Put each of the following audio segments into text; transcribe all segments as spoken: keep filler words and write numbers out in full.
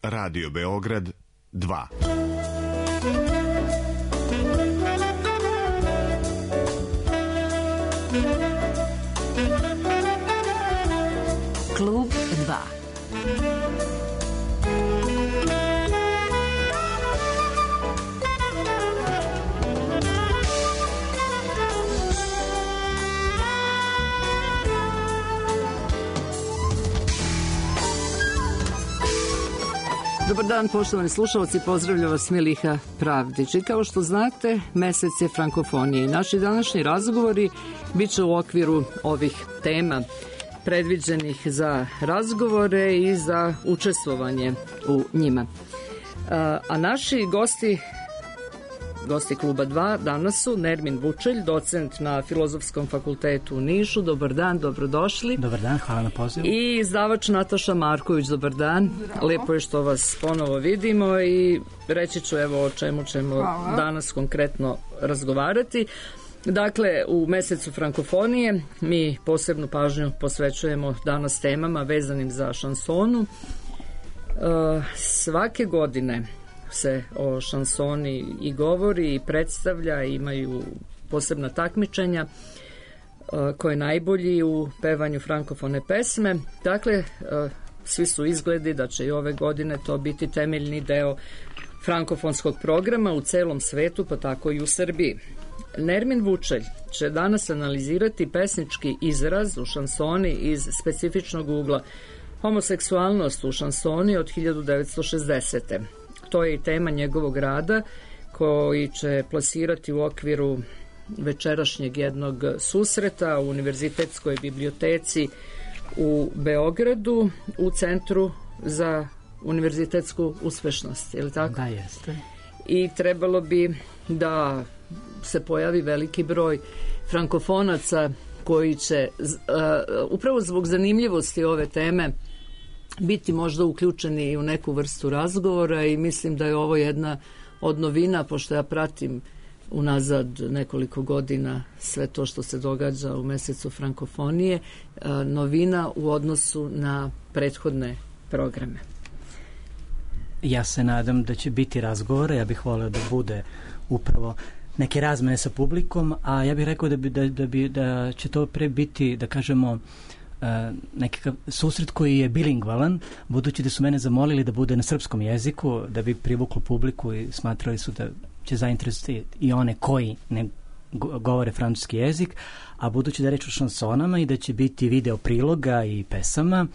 Radio Beograd dva. Klub dva. Dobar dan, poštovani slušalci, pozdravlja vas Miliha Pravdić. I kao što znate, mesec je frankofonije i naši današnji razgovori bit će u okviru ovih tema predviđenih za razgovore i za učestvovanje u njima. A naši gosti, gosti Kluba dva danas su Nermin Vučelj, docent na Filozofskom fakultetu u Nišu. Dobar dan, dobrodošli. Dobar dan, hvala na pozivu. I izdavač Nataša Marković, dobar dan. Lepo je što vas ponovo vidimo i reći ću evo o čemu ćemo hvala. Danas konkretno razgovarati. Dakle, u mesecu frankofonije mi posebnu pažnju posvećujemo danas temama vezanim za šansonu. Svake godine se o šansoni i govori i predstavlja, imaju posebna takmičenja koje je najbolji u pevanju frankofone pesme. Dakle, svi su izgledi da će i ove godine to biti temeljni deo frankofonskog programa u celom svetu, pa tako i u Srbiji. Nermin Vučelj će danas analizirati pesnički izraz u šansoni iz specifičnog ugla homoseksualnost u šansoni od hiljadu devetsto šezdesete. To je i tema njegovog rada koji će plasirati u okviru večerašnjeg jednog susreta u Univerzitetskoj biblioteci u Beogradu u Centru za univerzitetsku uspešnost. Je li tako? Da, jeste. I trebalo bi da se pojavi veliki broj frankofonaca koji će uh, upravo zbog zanimljivosti ove teme biti možda uključeni u neku vrstu razgovora i mislim da je ovo jedna od novina, pošto ja pratim unazad nekoliko godina sve to što se događa u mesecu frankofonije, novina u odnosu na prethodne programe. Ja se nadam da će biti razgovora, ja bih voleo da bude upravo neke razmene sa publikom, a ja bih rekao da, bi, da, da, bi, da će to pre biti, da kažemo, Uh, nekakav susret koji je bilingvalan, budući da su mene zamolili da bude na srpskom jeziku, da bi privuklo publiku i smatrali su da će zainteresovati i one koji ne govore francuski jezik, a budući da je reč o šansonama i da će biti video priloga i pesama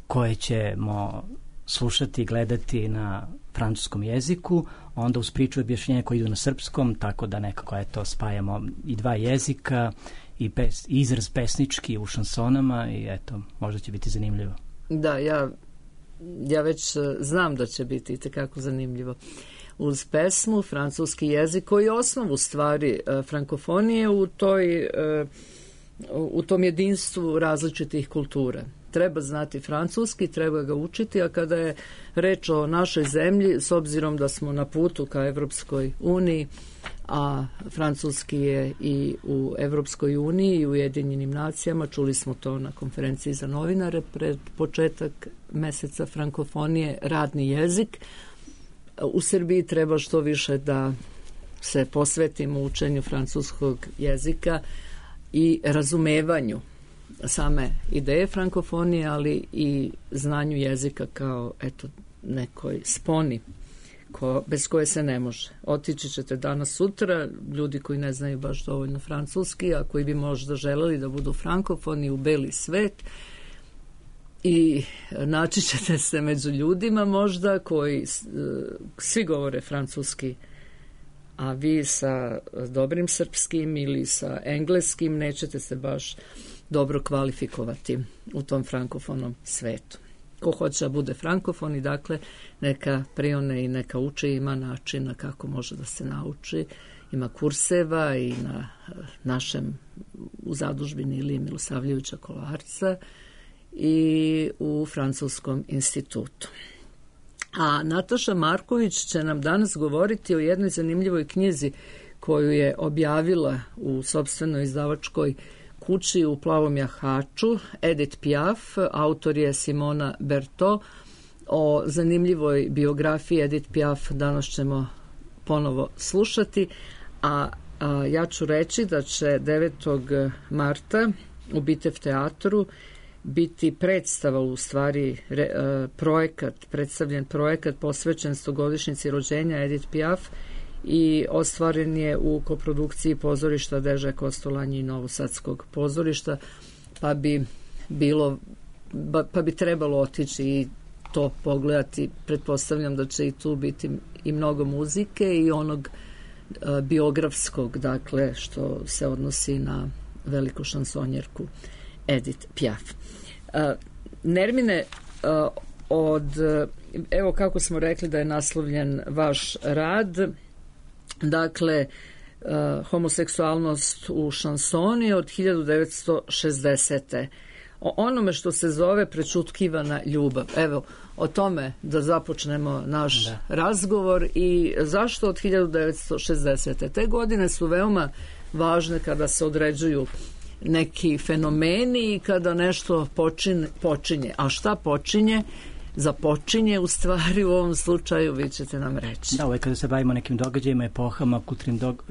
koje ćemo slušati i gledati na francuskom jeziku, onda uz priču objašnjenja koji idu na srpskom, tako da nekako eto spajamo i dva jezika i pes, izraz pesnički u šansonama i eto, možda će biti zanimljivo. Da, ja, ja već znam da će biti itekako zanimljivo. Uz pesmu, francuski jezik, koji je osnovu stvari frankofonije u, toj, u tom jedinstvu različitih kultura. Treba znati francuski, treba ga učiti, a kada je reč o našoj zemlji, s obzirom da smo na putu ka Evropskoj uniji, a francuski je i u Evropskoj uniji i u Ujedinjenim nacijama, čuli smo to na konferenciji za novinare pred početak meseca frankofonije, radni jezik. U Srbiji treba što više da se posvetimo učenju francuskog jezika i razumevanju same ideje frankofonije, ali i znanju jezika kao eto nekoj sponi ko, bez koje se ne može. Otići ćete danas sutra, ljudi koji ne znaju baš dovoljno francuski, a koji bi možda želeli da budu frankofoni u beli svet, i naći ćete se među ljudima možda koji svi govore francuski, a vi sa dobrim srpskim ili sa engleskim nećete se baš dobro kvalifikovati u tom frankofonom svetu. Ko hoće da bude frankofon i dakle neka prione i neka uči, ima načina kako može da se nauči, ima kurseva i na našem u zadužbini Ilije Milosavljevića Kolarca i u Francuskom institutu. A Nataša Marković će nam danas govoriti o jednoj zanimljivoj knjizi koju je objavila u sopstvenoj izdavačkoj kući u Plavom jahaču, Edith Piaf, autor je Simona Berto, o zanimljivoj biografiji Edith Piaf danas ćemo ponovo slušati, a, a ja ću reći da će devetog marta u Bitev teatru biti predstava, u stvari re, projekat, predstavljen projekat posvećen stogodišnjici rođenja Edith Piaf i ostvaren je u koprodukciji pozorišta Deža Kostolanje i Novosadskog pozorišta, pa bi bilo pa bi trebalo otići i to pogledati. Pretpostavljam da će i tu biti i mnogo muzike i onog a, biografskog, dakle, što se odnosi na veliku šansonjerku Edith Piaf. A, Nermine, a, od, evo kako smo rekli da je naslovljen vaš rad, dakle, a, homoseksualnost u šansoni od hiljadu devetsto šezdesete o onome što se zove prečutkivana ljubav. Evo, o tome da započnemo naš da. razgovor i zašto od hiljadu devetsto šezdesete. Te godine su veoma važne kada se određuju neki fenomeni i kada nešto počine, počinje. A šta počinje? Započinje u stvari u ovom slučaju, vi ćete nam reći. Da, uvek kada se bavimo nekim događajima, epohama, kulturnim dog,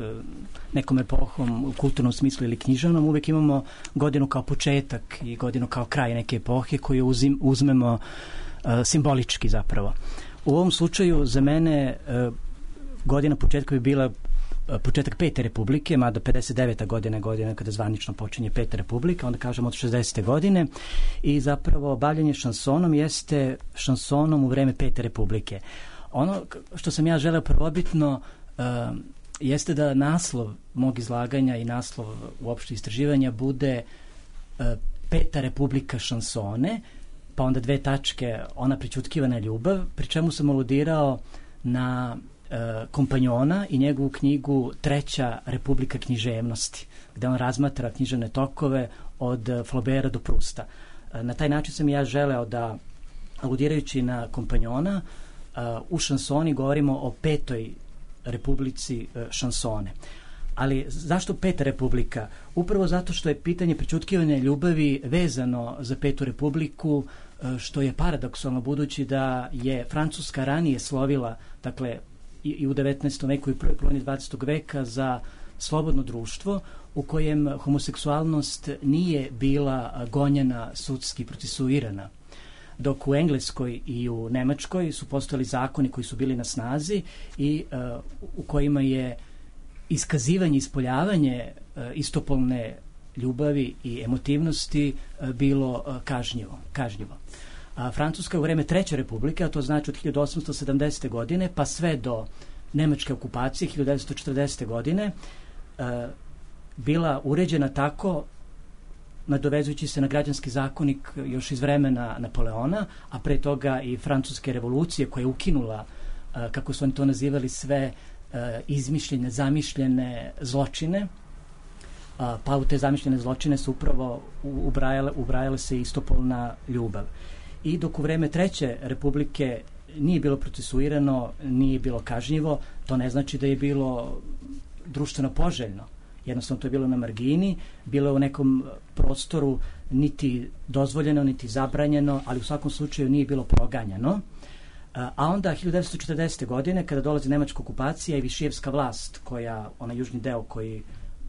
nekom epohom u kulturnom smislu ili književnom, uvek imamo godinu kao početak i godinu kao kraj neke epohe koju uzim, uzmemo uh, simbolički zapravo. U ovom slučaju za mene uh, godina početka bi bila početak Pete republike, mada pedeset deveta godina je godina kada zvanično počinje Peta republika, onda kažemo od šezdesete godine, i zapravo bavljanje šansonom jeste šansonom u vreme Pete republike. Ono što sam ja želeo prvobitno uh, jeste da naslov mog izlaganja i naslov uopšte istraživanja bude uh, Peta republika šansone, pa onda dve tačke, ona prećutkivana ljubav, pri čemu sam aludirao na kompanjona i njegovu knjigu Treća republika književnosti, gde on razmatra književne tokove od Flaubera do Prusta. Na taj način sam ja želeo da, aludirajući na kompanjona, u šansoni govorimo o petoj republici šansone. Ali zašto Peta republika? Upravo zato što je pitanje prećutkivanja ljubavi vezano za Petu republiku, što je paradoksalno budući da je Francuska ranije slovila, dakle, i u devetnaestom veku i prvoj polovini dvadesetog veka za slobodno društvo u kojem homoseksualnost nije bila gonjena, sudski procesuirana. Dok u Engleskoj i u Nemačkoj su postojali zakoni koji su bili na snazi i uh, u kojima je iskazivanje, ispoljavanje uh, istopolne ljubavi i emotivnosti uh, bilo uh, kažnjivo. kažnjivo. A Francuska u vreme Treće republike, a to znači od hiljadu osamsto sedamdesete godine pa sve do nemačke okupacije hiljadu devetsto četrdesete godine, e, bila uređena tako, nadovezujući se na građanski zakonik još iz vremena Napoleona, a pre toga i francuske revolucije koja je ukinula, e, kako su oni to nazivali, sve e, izmišljene, zamišljene zločine, a, pa u te zamišljene zločine su upravo ubrajale, ubrajale se istopolna ljubav. I dok u vreme Treće republike nije bilo procesuirano, nije bilo kažnjivo, to ne znači da je bilo društveno poželjno. Jednostavno to je bilo na margini, bilo je u nekom prostoru niti dozvoljeno, niti zabranjeno, ali u svakom slučaju nije bilo proganjano. A onda hiljadu devetsto četrdesete godine, kada dolazi nemačka okupacija i višijevska vlast, koja, onaj južni deo koji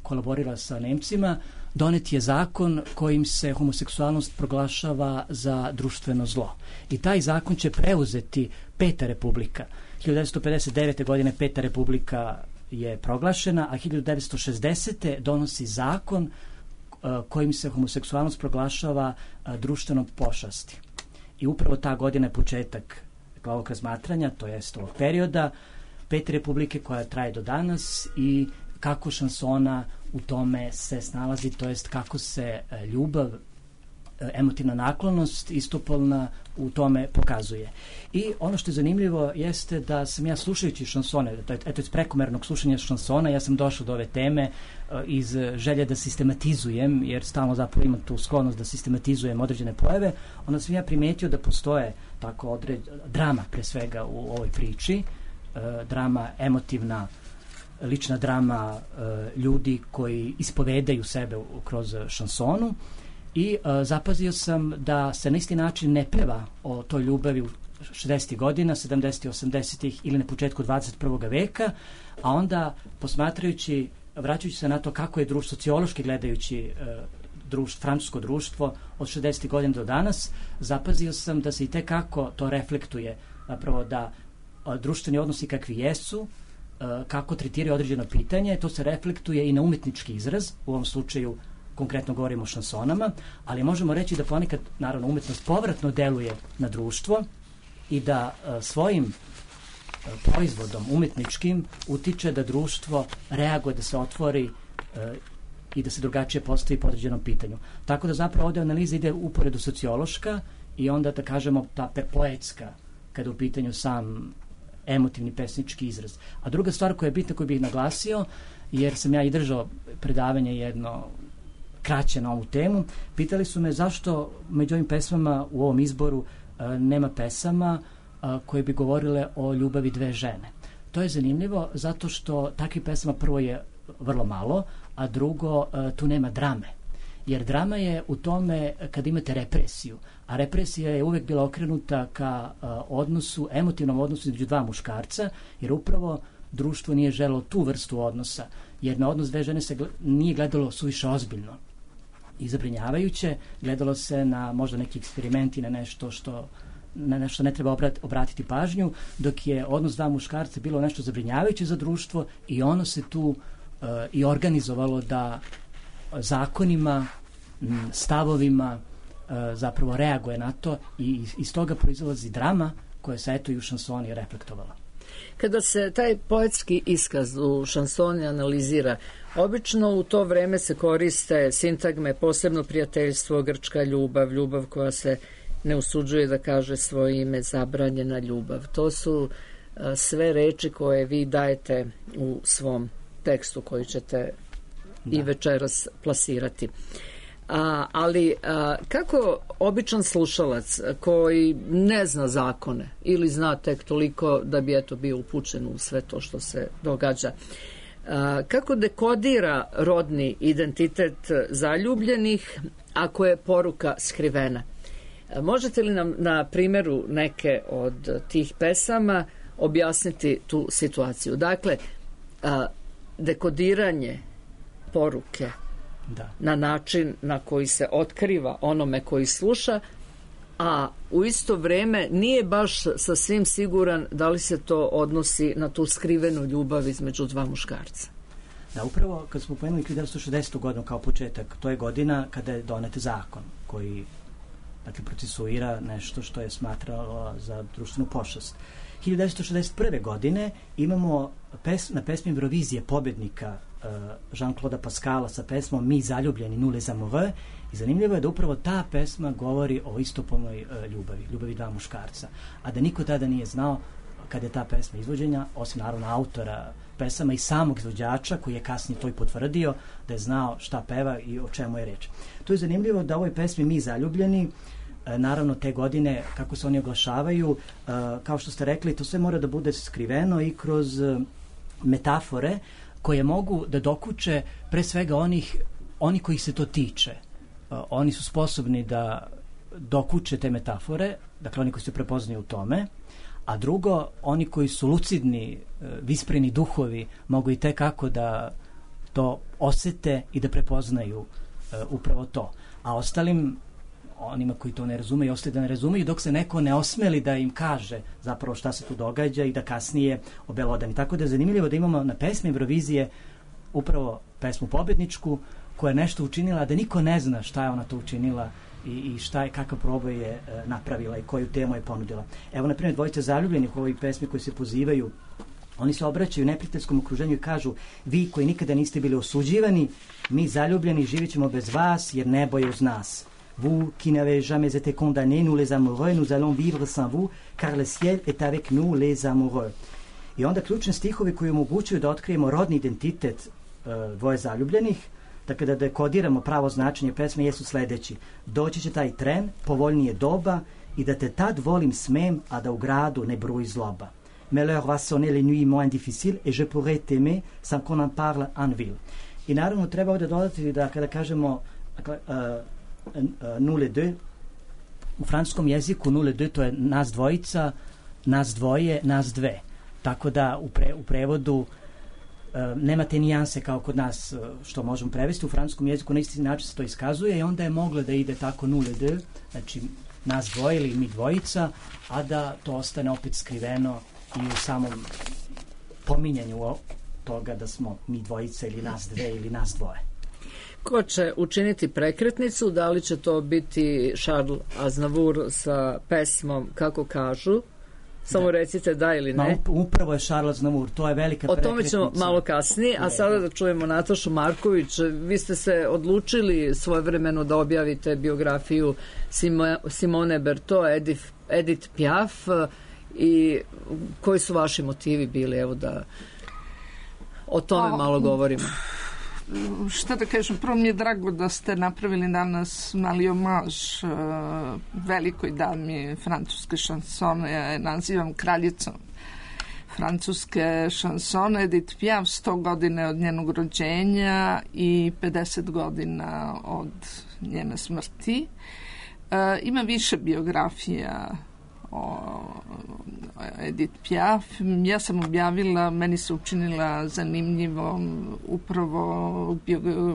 kolaborira sa Nemcima, donet je zakon kojim se homoseksualnost proglašava za društveno zlo. I taj zakon će preuzeti Peta republika. hiljadu devetsto pedeset devete godine Peta republika je proglašena, a hiljadu devetsto šezdesete donosi zakon uh, kojim se homoseksualnost proglašava uh, društvenom pošasti. I upravo ta godina je početak ovog razmatranja, to jest ovog perioda Pete republike koja traje do danas i kako šansona u tome se snalazi, to jest kako se ljubav, emotivna naklonost istopolna u tome pokazuje. I ono što je zanimljivo jeste da sam ja slušajući šansone, eto iz prekomernog slušanja šansona, ja sam došao do ove teme iz želje da sistematizujem, jer stalno zapravo imam tu sklonost da sistematizujem određene pojave, onda sam ja primetio da postoje tako određ... drama pre svega u ovoj priči, drama emotivna, lična drama e, ljudi koji ispovedaju sebe u, kroz šansonu i e, zapazio sam da se na isti način ne peva o toj ljubavi u šezdesetih godina, sedamdesetih, osamdesetih ili na početku dvadeset prvog veka, a onda posmatrajući, vraćajući se na to kako je društvo, sociološki gledajući društvo, francusko društvo od šezdesetih godina do danas, zapazio sam da se i tekako to reflektuje, zapravo da društveni odnosi kakvi jesu, kako tretiraju određeno pitanje, to se reflektuje i na umetnički izraz, u ovom slučaju konkretno govorimo o šansonama, ali možemo reći da ponekad, naravno, umetnost povratno deluje na društvo i da svojim proizvodom umetničkim utiče da društvo reaguje, da se otvori i da se drugačije postavi po određenom pitanju. Tako da zapravo ovdje analiza ide uporedu sociološka i onda, da kažemo, ta poetska, kada u pitanju sam emotivni pesnički izraz. A druga stvar koja je bitna, koju bih naglasio, jer sam ja i držao predavanje jedno kraće na ovu temu, pitali su me zašto među ovim pesmama u ovom izboru a, nema pesama a, koje bi govorile o ljubavi dve žene. To je zanimljivo zato što takvih pesama prvo je vrlo malo, a drugo a, tu nema drame. Jer drama je u tome kad imate represiju, a represija je uvek bila okrenuta ka a, odnosu, emotivnom odnosu između dva muškarca, jer upravo društvo nije želelo tu vrstu odnosa, jer na odnos dve žene se gled, nije gledalo suviše ozbiljno i zabrinjavajuće, gledalo se na možda neki eksperimenti, na nešto što na nešto ne treba obrat, obratiti pažnju, dok je odnos dva muškarca bilo nešto zabrinjavajuće za društvo i ono se tu uh, i organizovalo da zakonima, stavovima uh, zapravo reaguje na to i iz toga proizlazi drama koja se eto i u šansoni reflektovala. Kada se taj poetski iskaz u šansoni analizira, obično u to vreme se koriste sintagme posebno prijateljstvo, grčka ljubav, ljubav koja se ne usuđuje da kaže svoje ime, zabranjena ljubav. To su a, sve reči koje vi dajete u svom tekstu koji ćete da. i večeras plasirati. A, ali a, kako običan slušalac koji ne zna zakone ili zna tek toliko da bi eto bio upućen u sve to što se događa, a, kako dekodira rodni identitet zaljubljenih ako je poruka skrivena? A, možete li nam na primjeru neke od tih pesama objasniti tu situaciju? Dakle, a, dekodiranje poruke Da. na način na koji se otkriva onome koji sluša, a u isto vrijeme nije baš sasvim siguran da li se to odnosi na tu skrivenu ljubav između dva muškarca. Da, upravo kad smo pomenuli hiljadu devetsto šezdesetu godinu kao početak, to je godina kada je donet zakon koji, dakle, procesuira nešto što je smatralo za društvenu pošast. hiljadu devetsto šezdeset prve godine imamo pes, na pesmi Eurovizije pobjednika Jean-Claude Pascala sa pesmom Mi zaljubljeni, Nous les amoureux, i zanimljivo je da upravo ta pesma govori o istopolnoj uh, ljubavi, ljubavi dva muškarca, a da niko tada nije znao kada je ta pesma izvođenja, osim naravno autora pesama i samog izvođača koji je kasnije to i potvrdio da je znao šta peva i o čemu je reč. To je zanimljivo da u ovoj pesmi Mi zaljubljeni, uh, naravno te godine kako se oni oglašavaju, uh, kao što ste rekli, to sve mora da bude skriveno i kroz uh, metafore koje mogu da dokuče pre svega onih, oni koji se to tiče. Uh, oni su sposobni da dokuče te metafore, dakle oni koji se prepoznaju u tome, a drugo, oni koji su lucidni, uh, vispreni duhovi, mogu i tekako da to osete i da prepoznaju uh, upravo to. A ostalim, onima koji to ne razumeju, ostaje da ne razumeju, dok se neko ne osmeli da im kaže zapravo šta se tu događa i da kasnije obelodani. Tako da je zanimljivo da imamo na pesmi Eurovizije upravo pesmu pobedničku koja je nešto učinila, da niko ne zna šta je ona to učinila i, i šta je, kakav proboj je e, napravila i koju temu je ponudila. Evo, na primjer, dvojica zaljubljenih u ovoj pesmi koji se pozivaju, oni se obraćaju neprijateljskom okruženju i kažu: vi koji nikada niste bili osuđivani, mi zaljubljeni živjet ćemo bez vas jer nebo je uz nas. Vous qui n'avez jamais été condamnés, nous les amoureux, nous allons vivre sans vous, car le ciel est avec nous les amoureux. I onda ključni stihovi koji omogućuju da otkrijemo rodni identitet uh, dvoje zaljubljenih, dakle da dekodiramo pravo značenje pesme, jesu sledeći: doći će taj tren, povoljnije doba, i da te tad volim smem, a da u gradu ne bruji zloba. Mais l'heure va sonner les nuits moins difficiles et je pourrais t'aimer sans qu'on en parle en ville. I naravno treba ovdje dodati da kada kažemo dakle, uh, nous les deux, u francuskom jeziku nule de to je nas dvojica, nas dvoje, nas dve. Tako da u, pre, u prevodu uh, nema te nijanse kao kod nas uh, što možemo prevesti. U francuskom jeziku na isti način se to iskazuje i onda je moglo da ide tako nule de, znači nas dvoje ili mi dvojica, a da to ostane opet skriveno i u samom pominjanju toga da smo mi dvojica ili nas dve ili nas dvoje. Ko će učiniti prekretnicu? Da li će to biti Charles Aznavour sa pesmom Kako kažu? Samo da. Recite da ili ne. Ma, upravo je Charles Aznavour, to je velika prekretnica. O tome ćemo malo kasnije, a sada da čujemo Natašu Marković. Vi ste se odlučili svojevremeno da objavite biografiju Simone Berthaud, Edith, Edith Piaf, i koji su vaši motivi bili, evo da o tome malo govorimo. Šta da kažem, prvo mi je drago da ste napravili danas mali omaž uh, velikoj dami francuske šansone, ja je nazivam kraljicom francuske šansone, Edith Piaf, sto godine od njenog rođenja i pedeset godina od njene smrti. Uh, ima više biografija o Edith Piaf. Ja sam objavila, meni se učinila zanimljivom upravo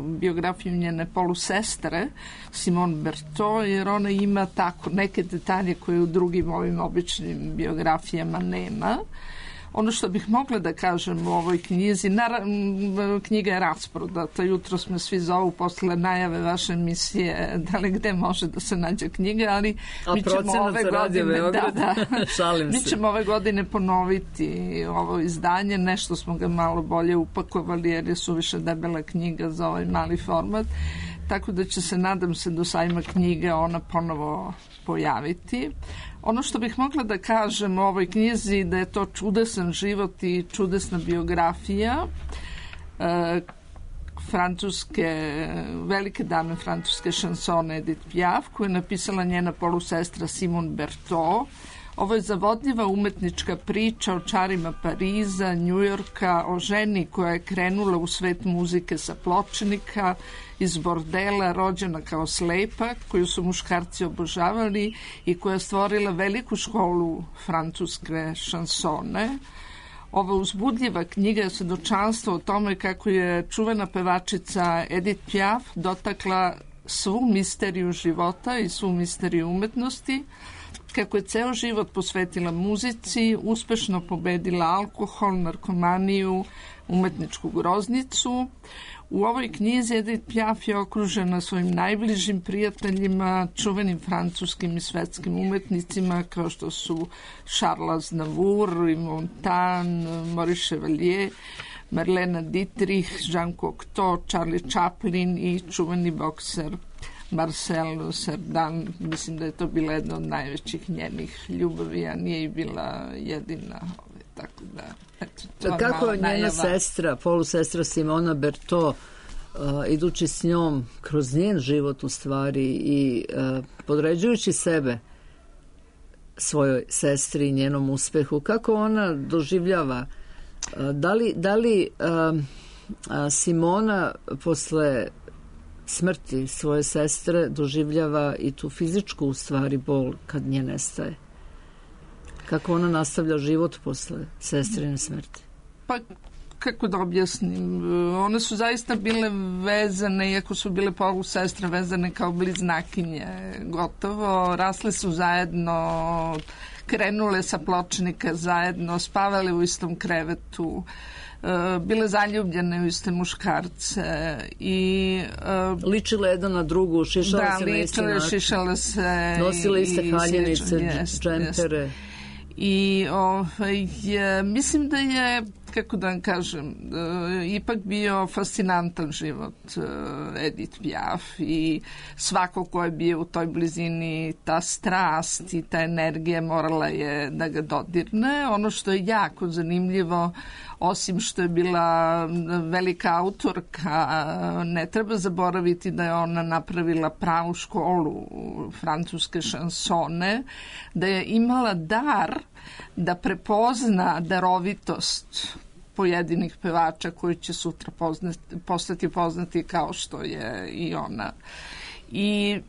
biografiju njene polusestre Simone Berthaud, jer ona ima tako neke detalje koje u drugim ovim običnim biografijama nema. Ono što bih mogla da kažem u ovoj knjizi, naravno, knjiga je rasprodata, jutro smo svi zovu posle najave vaše emisije da li gde može da se nađe knjiga, ali a mi ćemo ove godine da, da, Šalim mi se. ćemo ove godine ponoviti ovo izdanje, nešto smo ga malo bolje upakovali jer je suviše debela knjiga za ovaj mali format, tako da će se, nadam se, do sajma knjige ona ponovo pojaviti. Ono što bih mogla da kažem u ovoj knjizi da je to čudesan život i čudesna biografija e, francuske, velike dame francuske šansone Edith Piaf, koju je napisala njena polusestra Simone Berthaud. Ovo je zavodljiva umetnička priča o čarima Pariza, Njujorka, o ženi koja je krenula u svet muzike sa pločnika, iz bordela, rođena kao slepa, koju su muškarci obožavali i koja je stvorila veliku školu francuske šansone. Ova uzbudljiva knjiga je svedočanstvo o tome kako je čuvena pevačica Edith Piaf dotakla svu misteriju života i svu misteriju umetnosti, kako je ceo život posvetila muzici, uspešno pobedila alkohol, narkomaniju, umetničku groznicu. U ovoj knjizi Edith Piaf je okružena svojim najbližim prijateljima, čuvenim francuskim i svetskim umetnicima kao što su Charles Aznavour, Yves Montand, Maurice Chevalier, Marlene Dietrich, Jean Cocteau, Charlie Chaplin i čuveni bokser Marcel Cerdan. Mislim da je to bila jedna od najvećih njenih ljubavi, a nije i bila jedina. Tako da, eto, kako njena najava. Sestra, polusestra Simona Berthaud, uh, idući s njom kroz njen život u stvari i uh, podređujući sebe svojoj sestri i njenom uspehu, kako ona doživljava, uh, da li, da li uh, uh, Simona posle smrti svoje sestre doživljava i tu fizičku u stvari bol kad nje nestaje? Kako ona nastavlja život posle sestrine smrti? Pa, kako da objasnim, one su zaista bile vezane, iako su bile polusestre, vezane kao bliznakinje, gotovo, rasle su zajedno, krenule sa pločnika zajedno, spavale u istom krevetu, bile zaljubljene u iste muškarce i uh, ličile jedna na drugu, šišale da, se na isti način, šišale se nosile iste haljenice, džempere. I ovaj, je, mislim da je, kako da vam kažem, uh, ipak bio fascinantan život uh, Edith Piaf i svako ko je bio u toj blizini, ta strast i ta energija morala je da ga dodirne. Ono što je jako zanimljivo, osim što je bila velika autorka, ne treba zaboraviti da je ona napravila pravu školu francuske šansone, da je imala dar da prepozna darovitost pojedinih pevača koji će sutra poznati, postati poznati kao što je i ona. I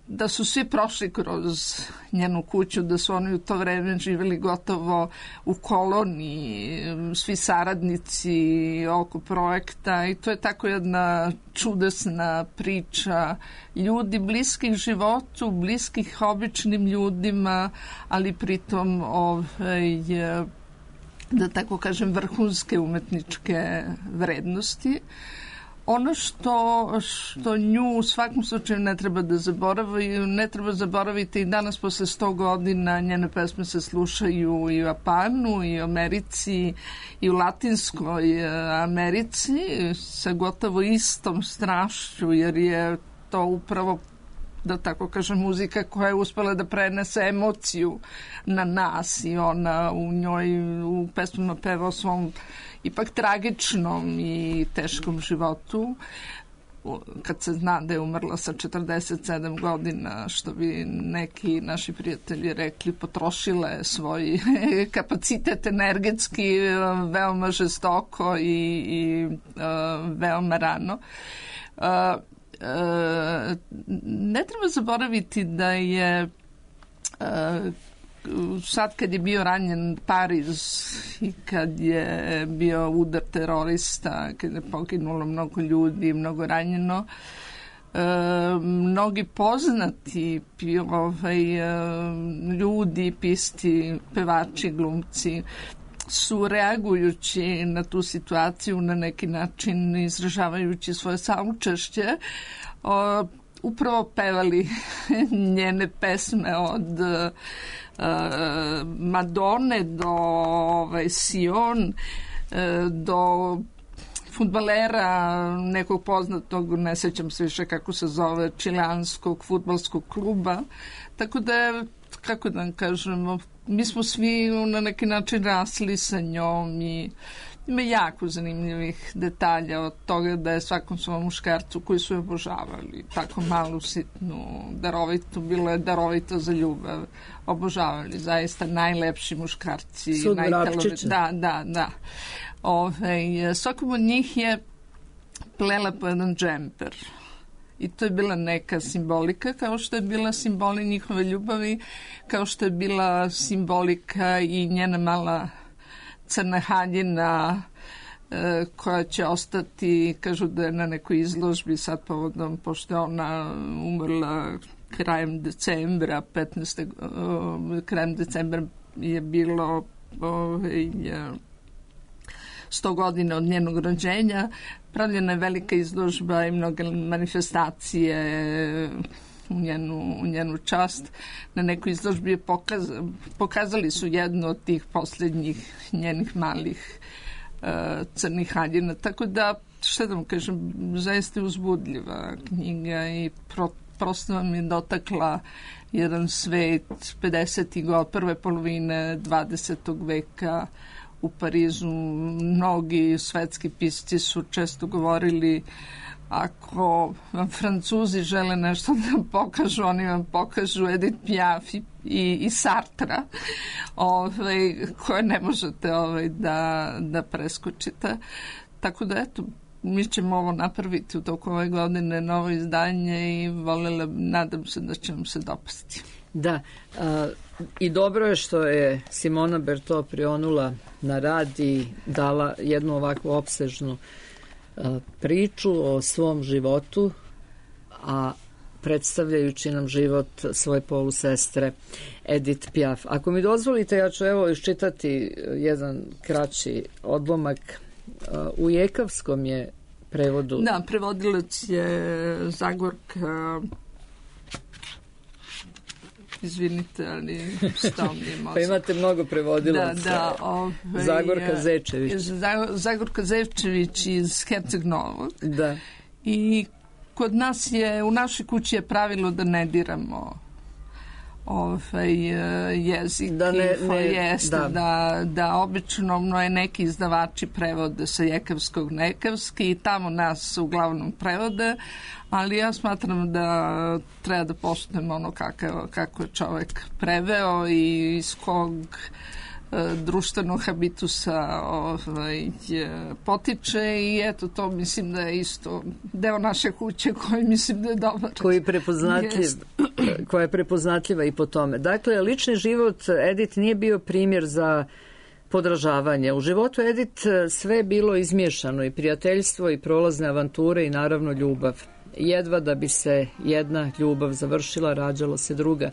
da su svi prošli kroz njenu kuću, da su oni u to vreme živjeli gotovo u koloniji, svi saradnici oko projekta i to je tako jedna čudesna priča ljudi bliskih životu, bliskih običnim ljudima, ali pritom ovaj, da tako kažem vrhunske umetničke vrednosti. Ono što, što nju u svakom slučaju ne treba da zaboravi, ne treba zaboraviti i danas posle sto godina njene pesme se slušaju i u Japanu, i u Americi, i u Latinskoj Americi sa gotovo istom strašću, jer je to upravo, da tako kažem, muzika koja je uspela da prenese emociju na nas i ona u njoj u pesmama peva o svom ipak tragičnom i teškom životu. Kad se zna da je umrla sa četrdeset sedam godina, što bi neki naši prijatelji rekli, potrošila je svoj kapacitet energetski veoma žestoko i, i uh, veoma rano. Uh, uh, ne treba zaboraviti da je uh, sad kad je bio ranjen Pariz i kad je bio udar terorista, kad je poginulo mnogo ljudi, mnogo ranjeno, e, mnogi poznati ovaj, ljudi, pisti, pevači, glumci su reagujući na tu situaciju na neki način, izražavajući svoje saučešće, o, upravo pevali njene pesme od uh, Madone do ovaj, Sion, uh, do fudbalera nekog poznatog, ne sećam se više kako se zove, čileanskog fudbalskog kluba. Tako da je, kako da vam kažemo, mi smo svi na neki način rasli sa njom i ima jako zanimljivih detalja od toga da je svakom svom muškarcu koji su je obožavali, tako malu, sitnu, darovitu, bilo je darovito za ljubav, obožavali, zaista najlepši muškarci. Sud Vrapčića. Da, da, da. Ove, svakom od njih je plela po jedan džemper. I to je bila neka simbolika, kao što je bila simboli njihove ljubavi, kao što je bila simbolika i njena mala crna haljina e, koja će ostati, kažu da je na nekoj izložbi sad povodom, pošto je ona umrla krajem decembra, petnaestog Uh, krajem decembra je bilo uh, sto godina od njenog rođenja. Pravljena je velika izložba i mnoge manifestacije u njenu, u njenu čast. Na nekoj izložbi je pokaz, pokazali su jednu od tih posljednjih njenih malih uh, crnih haljina. Tako da, što da vam kažem, zaista je uzbudljiva knjiga i pro, prosto vam je dotakla jedan svet pedesetih godina, prve polovine dvadesetog veka u Parizu. Mnogi svetski pisci su često govorili, ako vam Francuzi žele nešto da pokažu, oni vam pokažu Edith Piaf i, i Sartra, ovaj, koje ne možete ovaj, da, da preskočite. Tako da, eto, mi ćemo ovo napraviti u toku ove godine, novo izdanje i voljela, nadam se da će vam se dopasti. Da, a, i dobro je što je Simona Berto prionula na rad i dala jednu ovakvu opsežnu a, priču o svom životu, a predstavljajući nam život svoje polusestre Edith Piaf. Ako mi dozvolite, ja ću evo iščitati jedan kraći odlomak. U jekavskom je prevodu. Da, prevodilac je Zagorka. Izvinite, ali stao mi je mozak. Pa imate mnogo prevodilaca. Da, da. Ove, Zagorka Zečević. Zagorka Zečević iz Herceg Novog. Da. I kod nas je, u našoj kući je pravilo da ne diramo ovaj jezik. Da ne, ne, jeste, da. Da, da obično no je neki izdavači prevode sa jekavskog na jekavski i tamo nas uglavnom prevode, ali ja smatram da treba da poštujemo ono kako, kako je čovek preveo i iz kog društvenog habitusa ovaj, potiče i eto to mislim da je isto deo naše kuće koji mislim da je dobar. Koji je prepoznatljiv, koja je prepoznatljiva i po tome. Dakle, lični život Edith nije bio primjer za podražavanje. U životu Edith sve je bilo izmiješano, i prijateljstvo, i prolazne avanture, i naravno ljubav. Jedva da bi se jedna ljubav završila, rađalo se druga.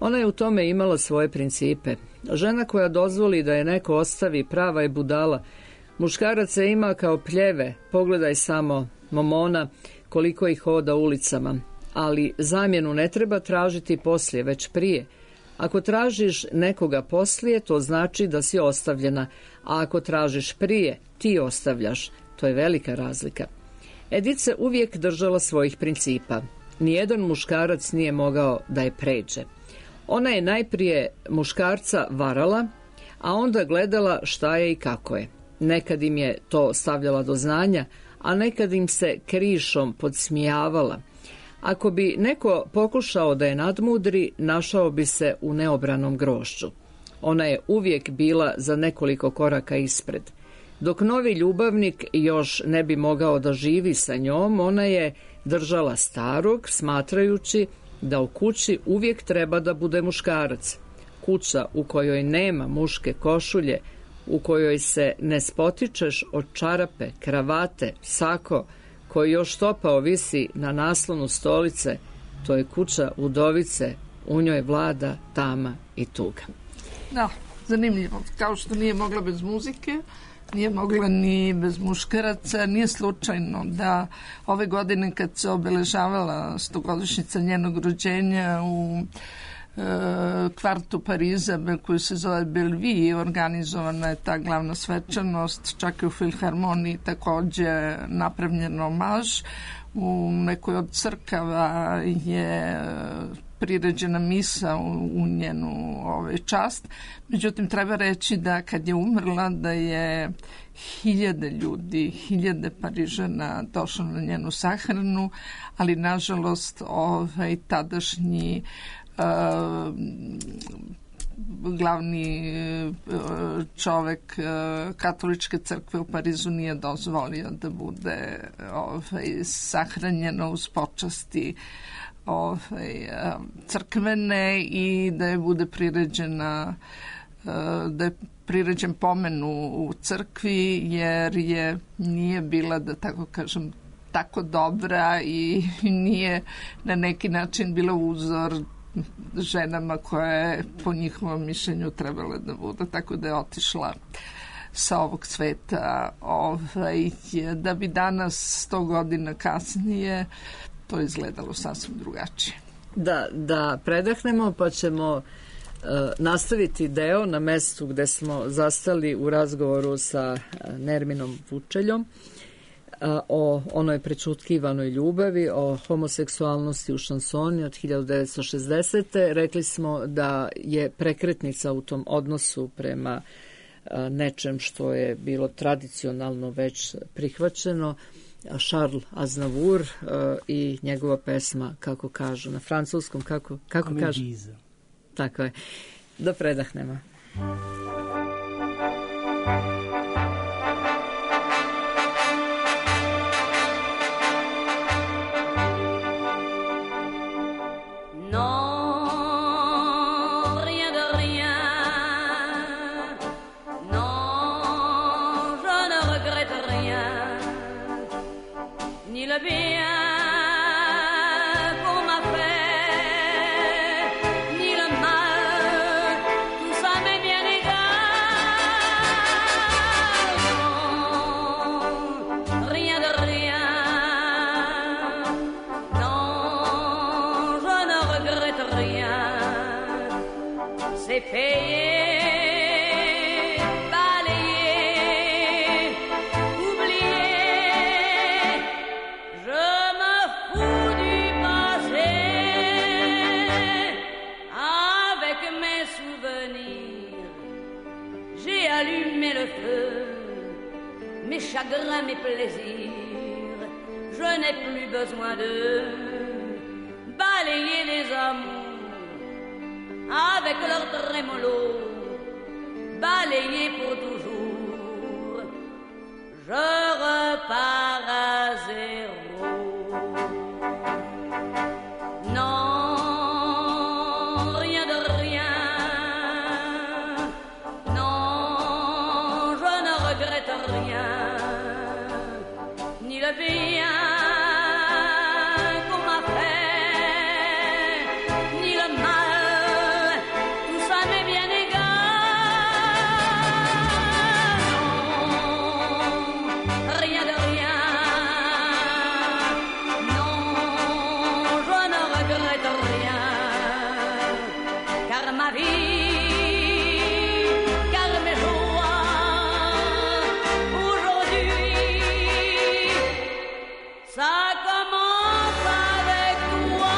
Ona je u tome imala svoje principe. Žena koja dozvoli da je neko ostavi, prava je budala. Muškarac se ima kao pljeve, pogledaj samo Momona koliko ih hoda ulicama. Ali zamjenu ne treba tražiti poslije, već prije. Ako tražiš nekoga poslije, to znači da si ostavljena, a ako tražiš prije, ti ostavljaš. To je velika razlika. Edith se uvijek držala svojih principa. Nijedan muškarac nije mogao da je pređe. Ona je najprije muškarca varala, a onda gledala šta je i kako je. Nekad im je to stavljala do znanja, a nekad im se krišom podsmijavala. Ako bi neko pokušao da je nadmudri, našao bi se u neobranom grošću. Ona je uvijek bila za nekoliko koraka ispred. Dok novi ljubavnik još ne bi mogao da živi sa njom, ona je držala starog, smatrajući da u kući uvijek treba da bude muškarac. Kuća u kojoj nema muške košulje, u kojoj se ne spotičeš od čarape, kravate, sako, koji još topao visi na naslonu stolice, to je kuća udovice, u njoj vlada tama i tuga. Da, zanimljivo. Kao što nije mogla bez muzike, nije mogla ni bez muškaraca. Nije slučajno da ove godine kad se obeležavala stogodišnjica njenog rođenja u e, kvartu Pariza koji se zove Bellevue, organizovana je ta glavna svečanost, čak i u Filharmoniji takođe napravljen omaž. U nekoj od crkava je priređena misa u, u njenu ovaj, čast. Međutim, treba reći da kad je umrla da je hiljade ljudi, hiljade Parižana došlo na njenu sahranu, ali nažalost ovaj, tadašnji uh, glavni čovek katoličke crkve u Parizu nije dozvolio da bude ovaj, sahranjeno uz počasti ovaj, crkvene i da je bude priređena da je priređen pomen u, u crkvi jer je nije bila, da tako kažem, tako dobra i nije na neki način bila uzor ženama koje po njihovom mišljenju trebale da bude, tako da je otišla sa ovog sveta ovaj, da bi danas sto godina kasnije to izgledalo sasvim drugačije. Da, da predahnemo pa ćemo uh, nastaviti deo na mestu gde smo zastali u razgovoru sa Nerminom Vučeljom o onoj prečutkivanoj ljubavi, o homoseksualnosti u šansoni od hiljadu devetsto šezdesete. Rekli smo da je prekretnica u tom odnosu prema nečem što je bilo tradicionalno već prihvaćeno, Charles Aznavour i njegova pesma, kako kažu na francuskom, kako, kako kažu? Tako je. Da predahnemo. chagrins, mes plaisirs, je n'ai plus besoin de balayer les amours avec leur trémolo, balayé pour toujours. Je repars à zéro. Non, rien de rien. Non, je ne regrette rien. Ni le bien qu'on m'a fait, ni le mal, tout ça m'est bien égal. Non, rien de rien. Non, je ne regrette rien. Car ma vie, car mes joies, aujourd'hui, ça commence avec toi.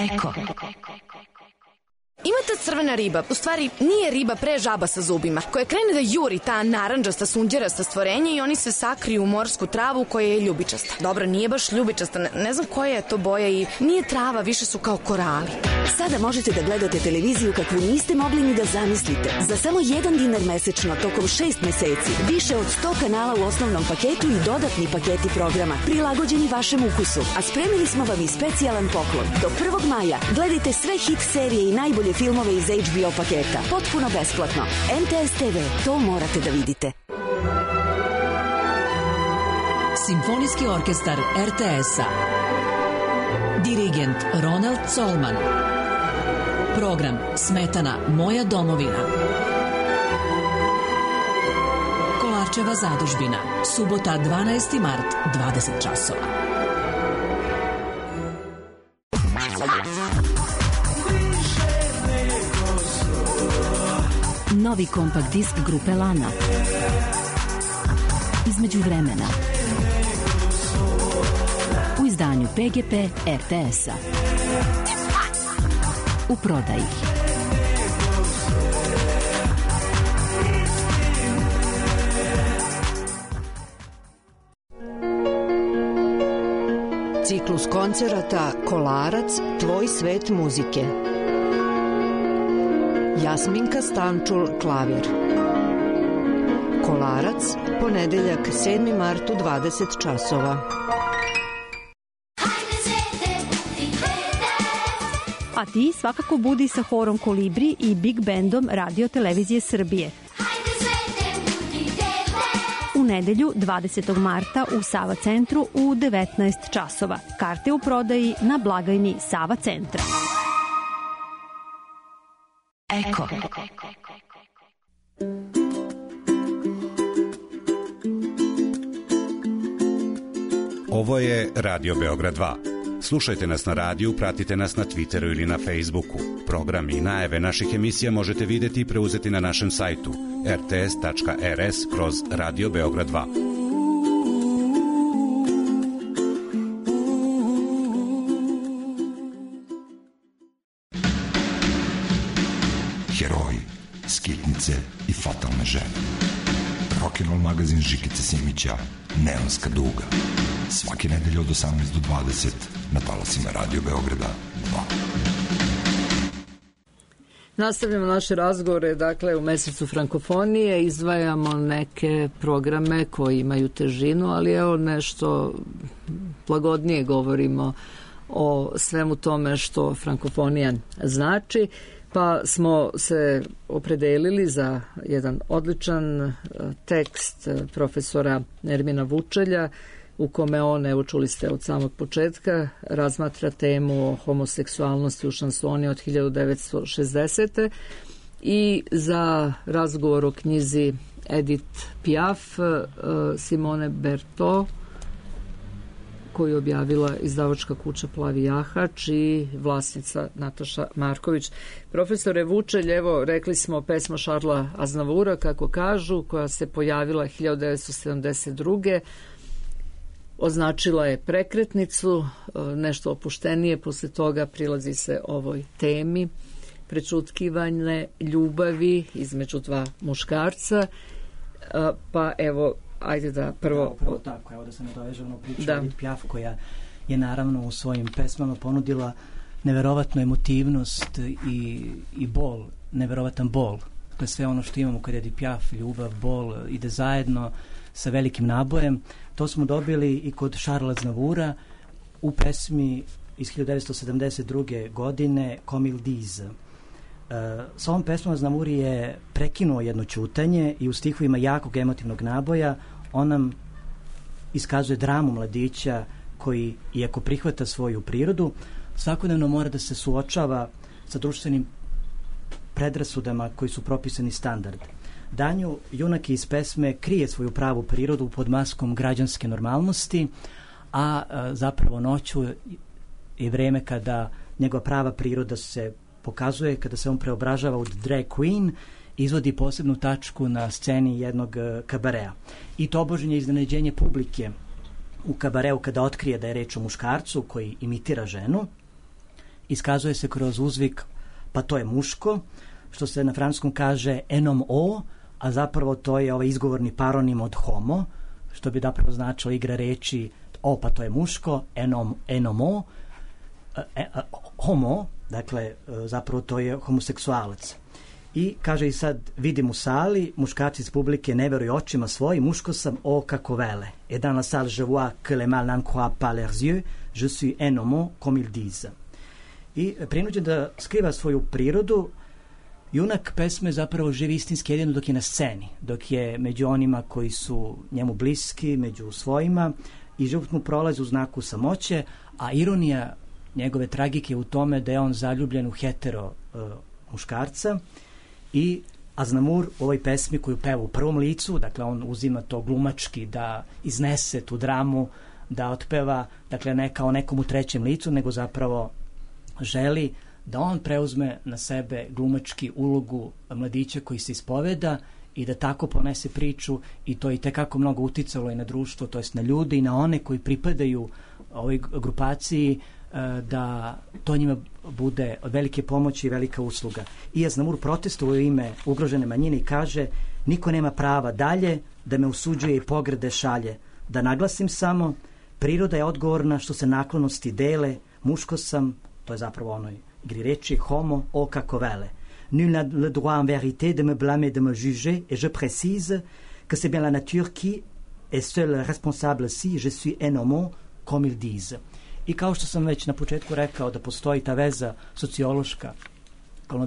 Eko. Ima ta crvena riba, u stvari nije riba, pre žaba sa zubima, koja krene da juri ta narandžasta, sunđerasta stvorenja i oni se sakriju u morsku travu koja je ljubičasta. Dobro, nije baš ljubičasta, ne, ne znam koja je to boja i nije trava, više su kao korali. Sada možete da gledate televiziju kakvu niste mogli ni da zamislite. Za samo jedan dinar mesečno, tokom šest meseci, više od sto kanala u osnovnom paketu i dodatni paketi programa, prilagođeni vašem ukusu. A spremili smo vam i specijalan poklon. Do prvog maja gledajte sve hit serije i najbolje filmove iz H B O paketa. Potpuno besplatno. M T S T V, to morate da vidite. Simfonijski orkestar R T S-a. Dirigent Ronald Colman. Program Smetana Moja domovina. Kolarčeva zadužbina. Subota dvanaesti mart, dvadeset časova. Novi kompakt disk grupe Lana. Između vremena. U izdanju P G P R T S-a. U prodaji. Ciklus koncerata Kolarac, tvoj svet muzike. Jasminka Stančul, klavir. Kolarac, ponedeljak sedmi mart u dvadeset časova. A ti svakako budi sa horom Kolibri i Big Bandom Radio Televizije Srbije. U nedelju dvadesetog marta u Sava centru u devetnaest časova. Karte u prodaji na blagajni Sava centra. Eko. Ovo je Radio Beograd dva. Slušajte nas na radiju, pratite nas na Twitteru ili na Facebooku. Program i najave naših emisija možete videti i preuzeti na našem sajtu r t s tačka r s kroz Radio Beograd dva. Heroji, skitnice i fatalne žene. Rock'n'roll magazin Žikice Simića, Neonska duga. Svake nedelje od osamnaest do dvadeset na talasima Radio Beograda dva. Nastavljamo naše razgovore, dakle u mesecu frankofonije izdvajamo neke programe koji imaju težinu, ali evo nešto lagodnije govorimo o svemu tome što frankofonija znači, pa smo se opredelili za jedan odličan tekst profesora Nermina Vučelja u kome on, evo čuli ste od samog početka, razmatra temu o homoseksualnosti u šansoni od hiljadu devetsto šezdesete i za razgovor o knjizi Edith Piaf Simone Berthaud koju je objavila izdavačka kuća Plavi jahač i vlasnica Nataša Marković. Profesore Vučelj, evo rekli smo pesma Šarla Aznavura, kako kažu, koja se pojavila hiljadu devetsto sedamdeset druge označila je prekretnicu, nešto opuštenije posle toga prilazi se ovoj temi prečutkivane ljubavi između dva muškarca, pa evo ajde da prvo... Da, upravo tako, evo da se nadoveže ono priču da. Edith Piaf, koja je naravno u svojim pesmama ponudila neverovatnu emotivnost i, i bol, neverovatan bol. To je sve ono što imamo kod Edith Piaf, ljubav, bol, ide zajedno sa velikim nabojem. To smo dobili i kod Charlesa Aznavoura u pesmi iz hiljadu devetsto sedamdeset druge. godine Comme ils disent. Uh, s ovom pesmom Aznavour je prekinuo jedno ćutanje i u stihovima jakog emotivnog naboja on nam iskazuje dramu mladića koji, iako prihvata svoju prirodu, svakodnevno mora da se suočava sa društvenim predrasudama koji su propisani standard. Danju junak iz pesme krije svoju pravu prirodu pod maskom građanske normalnosti, a, a zapravo noću je vreme kada njegova prava priroda se pokazuje, kada se on preobražava u drag queen, izvodi posebnu tačku na sceni jednog uh, kabarea. I tobožnje iznenađenje publike u kabareu kada otkrije da je reč o muškarcu koji imitira ženu, iskazuje se kroz uzvik pa to je muško, što se na francuskom kaže un homme o, a zapravo to je ovaj izgovorni paronim od homo, što bi zapravo značilo igra reči o pa to je muško, un homme, un homme o, e, a, homo, dakle zapravo to je homoseksualac. I kaže i sad vidim u sali, muškarci iz publike ne veruju očima svojim, muško sam, o kako vele. Et dans la salle je vois que les mâles n'en croient pas leurs yeux, je suis un homme comme ils disent. I prinuđen da skriva svoju prirodu, junak pesme zapravo živi istinski jedino dok je na sceni, dok je među onima koji su njemu bliski, među svojima, i život mu prolazi u znaku samoće, a ironija njegove tragike je u tome da je on zaljubljen u hetero uh, muškarca. I Aznavour u ovoj pesmi koju peva u prvom licu, dakle on uzima to glumački da iznese tu dramu, da otpeva, dakle ne kao nekom u trećem licu, nego zapravo želi da on preuzme na sebe glumački ulogu mladića koji se ispoveda i da tako ponese priču, i to je itekako mnogo uticalo i na društvo, to jest na ljude i na one koji pripadaju ovoj grupaciji, da to njima bude od velike pomoći i velika usluga. I Aznavour protestuje u ime ugrožene manjine i kaže: niko nema prava dalje da me usuđuje i pogrede šalje. Da naglasim samo, priroda je odgovorna što se naklonosti dele, muško sam, to je zapravo onoj igri reči, homo, o kako vele. Nul n'a le droit en vérité de me blâmer, de me juger, et je précise que c'est bien la nature qui est seule responsable si je suis un homme comme ils disent. I kao što sam već na početku rekao da postoji ta veza sociološka,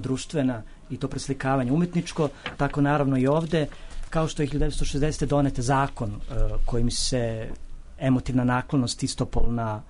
društvena i to preslikavanje umetničko, tako naravno i ovde, kao što je hiljadu devetsto šezdesete. donete zakon uh, kojim se emotivna naklonost istopolna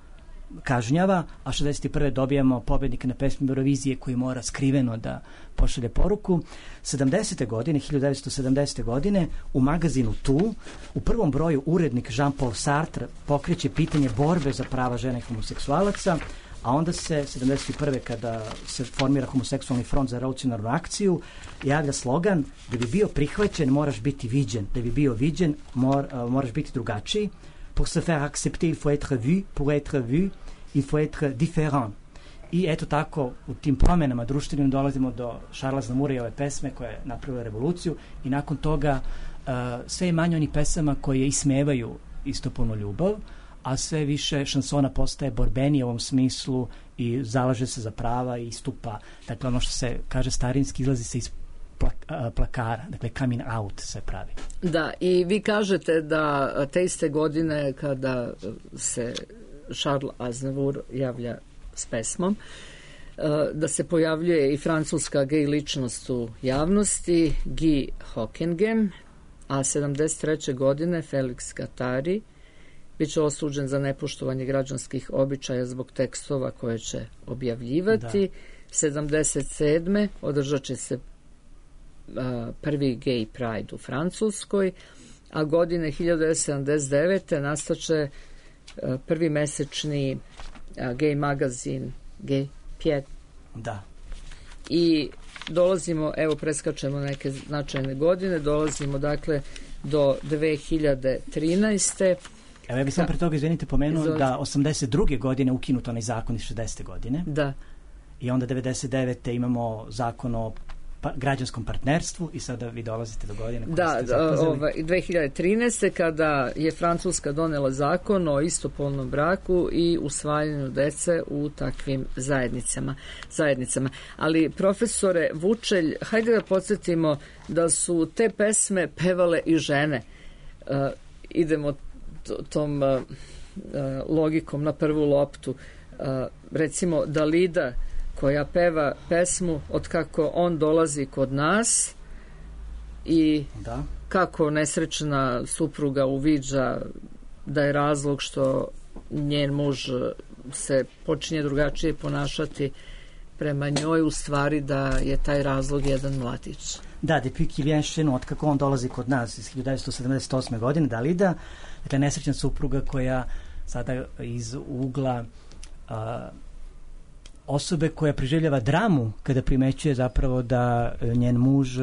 kažnjava, a šezdeset prve. dobijamo pobednika na pesmi Eurovizije koji mora skriveno da pošalje poruku. sedamdesete. godine, hiljadu devetsto sedamdesete. godine, u magazinu Tu, u prvom broju urednik Jean-Paul Sartre pokreće pitanje borbe za prava žena i homoseksualaca, a onda se sedamdeset prve. kada se formira homoseksualni front za revolucionarnu akciju, javlja slogan: da bi bio prihvaćen moraš biti viđen, da bi bio viđen mor, uh, moraš biti drugačiji. Pour se faire accepter, il faut être vu. Pour être vu, il faut être différent. I eto tako, u tim promenama društvenim dolazimo do Charlesa Aznavoura i ove pesme koja je napravila revoluciju, i nakon toga uh, sve je manje onih pesama koje ismevaju istopolnu ljubav, a sve više šansona postaje borbenije u ovom smislu i zalaže se za prava i istupa. Dakle, ono što se kaže starinski, izlazi se iz plakara, dakle coming out se pravi. Da, i vi kažete da te iste godine kada se Charles Aznavour javlja s pesmom, da se pojavljuje i francuska gej ličnost u javnosti, Guy Hockengem, a sedamdeset treće. godine Felix Guattari biće osuđen za nepoštovanje građanskih običaja zbog tekstova koje će objavljivati. Da. sedamdeset sedme. održat će se prvi gay pride u Francuskoj, a godine hiljadu devetsto sedamdeset devete. nastaće prvi mesečni gay magazin Gay Pied. Da. I dolazimo, evo preskačemo neke značajne godine, dolazimo dakle do dve hiljade trinaeste. Evo ja bih sam pre toga, izvinite, pomenuo Izvolite. da osamdeset druge. godine ukinut onaj zakon iz šezdesete. godine. Da. I onda devedeset devete. imamo zakon o pa, građanskom partnerstvu i sada vi dolazite do godine koje da, ste zapoznali. ovaj, dve hiljade trinaeste. kada je Francuska donela zakon o istopolnom braku i usvajanju dece u takvim zajednicama. zajednicama. Ali profesore Vučelj, hajde da podsjetimo da su te pesme pevale i žene. Uh, idemo tom uh, logikom na prvu loptu. Uh, recimo Dalida koja peva pesmu od kako on dolazi kod nas i da. kako nesrećna supruga uviđa da je razlog što njen muž se počinje drugačije ponašati prema njoj, u stvari da je taj razlog jedan mladić. Da, depuis qu'il vient chez nous, od kako on dolazi kod nas iz hiljadu devetsto sedamdeset osme. godine, Dalida, dakle nesrećna supruga koja sada iz ugla a, osobe koja preživljava dramu kada primećuje zapravo da njen muž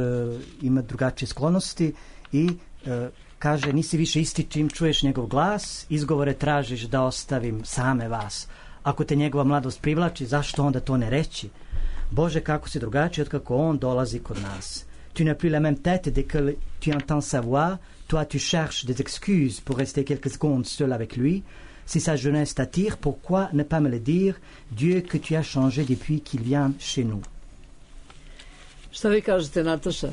ima drugačije sklonosti i e, kaže nisi više isti čim čuješ njegov glas, izgovore tražiš da ostavim same vas. Ako te njegova mladost privlači, zašto onda to ne reći? Bože, kako si drugačiji od kako on dolazi kod nas. Tu n'as plus la même tête dès que tu entends sa voix. Toi, tu cherches des excuses pour rester quelques secondes seul avec lui. Si sa jeunesse t'attire, pourquoi ne pas me le dire? Dieu, que tu as changé depuis qu'il vient chez nous. Šta vi kažete, Nataša?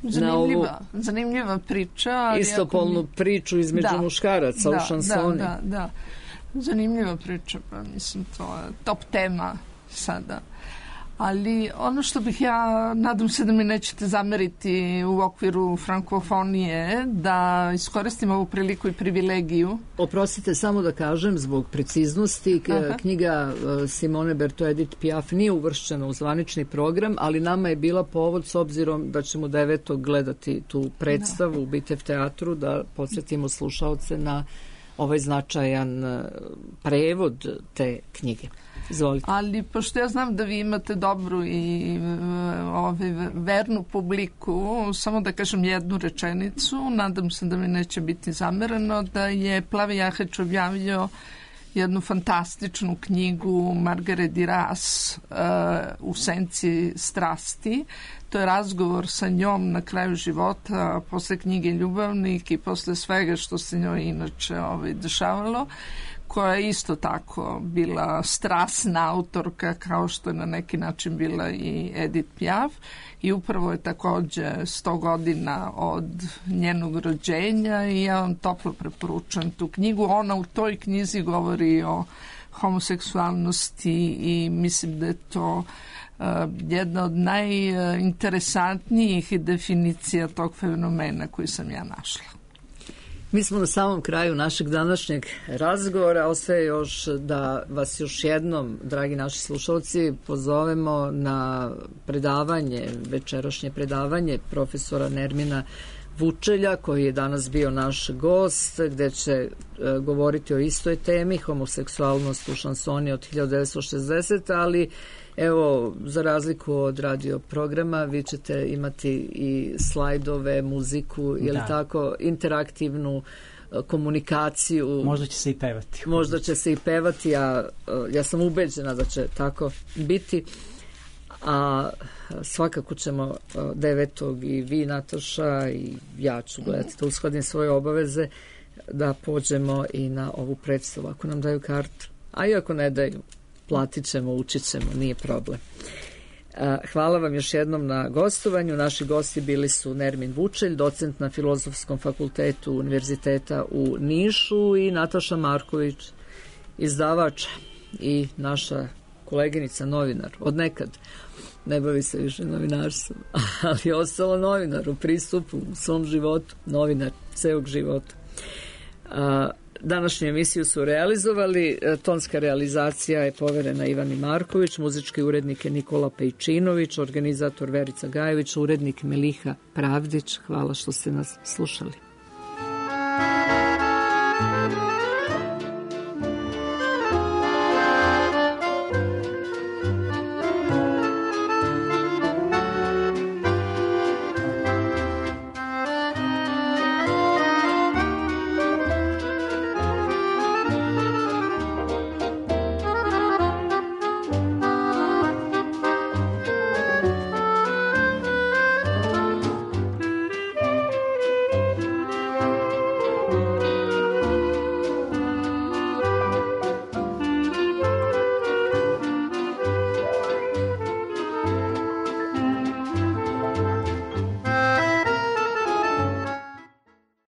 Zanimljiva, zanimljiva priča. Istopolnu mi... priču između da, muškaraca da, u šansoni. Da, da, da. Zanimljiva priča, pa mislim, to je top tema sada. Ali ono što bih ja, nadam se da mi nećete zameriti u okviru frankofonije, da iskoristim ovu priliku i privilegiju. Oprostite, samo da kažem, zbog preciznosti, Aha. knjiga Simone Berthoud Edith Piaf nije uvršćena u zvanični program, ali nama je bila povod, s obzirom da ćemo devetog gledati tu predstavu da. u Bitev teatru, da podsjetimo slušaoce na ovaj značajan prevod te knjige. Izvolite. Ali pošto ja znam da vi imate dobru i ove, vernu publiku, samo da kažem jednu rečenicu, nadam se da mi neće biti zamereno, da je Plavi Jaheć objavio jednu fantastičnu knjigu Margaret Duras uh, U senci strasti. To je razgovor sa njom na kraju života, posle knjige Ljubavnik i posle svega što se njoj inače ovaj, dešavalo, koja je isto tako bila strasna autorka kao što je na neki način bila i Edith Piaf i upravo je takođe sto godina od njenog rođenja i ja vam toplo preporučujem tu knjigu. Ona u toj knjizi govori o homoseksualnosti i mislim da je to uh, jedna od najinteresantnijih definicija tog fenomena koji sam ja našla. Mi smo na samom kraju našeg današnjeg razgovora. Ostaje još da vas još jednom, dragi naši slušalci, pozovemo na predavanje, večerašnje predavanje profesora Nermina Vučelja, koji je danas bio naš gost, gde će e, govoriti o istoj temi, homoseksualnost u šansoni od hiljadu devetsto šezdesete. ali evo, za razliku od radio programa, vi ćete imati i slajdove, muziku, je li tako, interaktivnu komunikaciju. Možda će se i pevati. Možda će se i pevati, a ja sam ubeđena da će tako biti. A svakako ćemo devetog i vi, Nataša, i ja ću gledati, da uskladim svoje obaveze, da pođemo i na ovu predstavu, ako nam daju kartu. A i ako ne daju, platit ćemo, učit ćemo, nije problem. Hvala vam još jednom na gostovanju. Naši gosti bili su Nermin Vučelj, docent na Filozofskom fakultetu Univerziteta u Nišu, i Nataša Marković, izdavač i naša koleginica, novinar. Od nekad ne bavi se više novinarstvom, ali je ostala novinar u pristupu u svom životu, novinar celog života. Današnju emisiju su realizovali, tonska realizacija je poverena Ivani Marković, muzički urednik je Nikola Pejčinović, organizator Verica Gajević, urednik Meliha Pravdić. Hvala što ste nas slušali.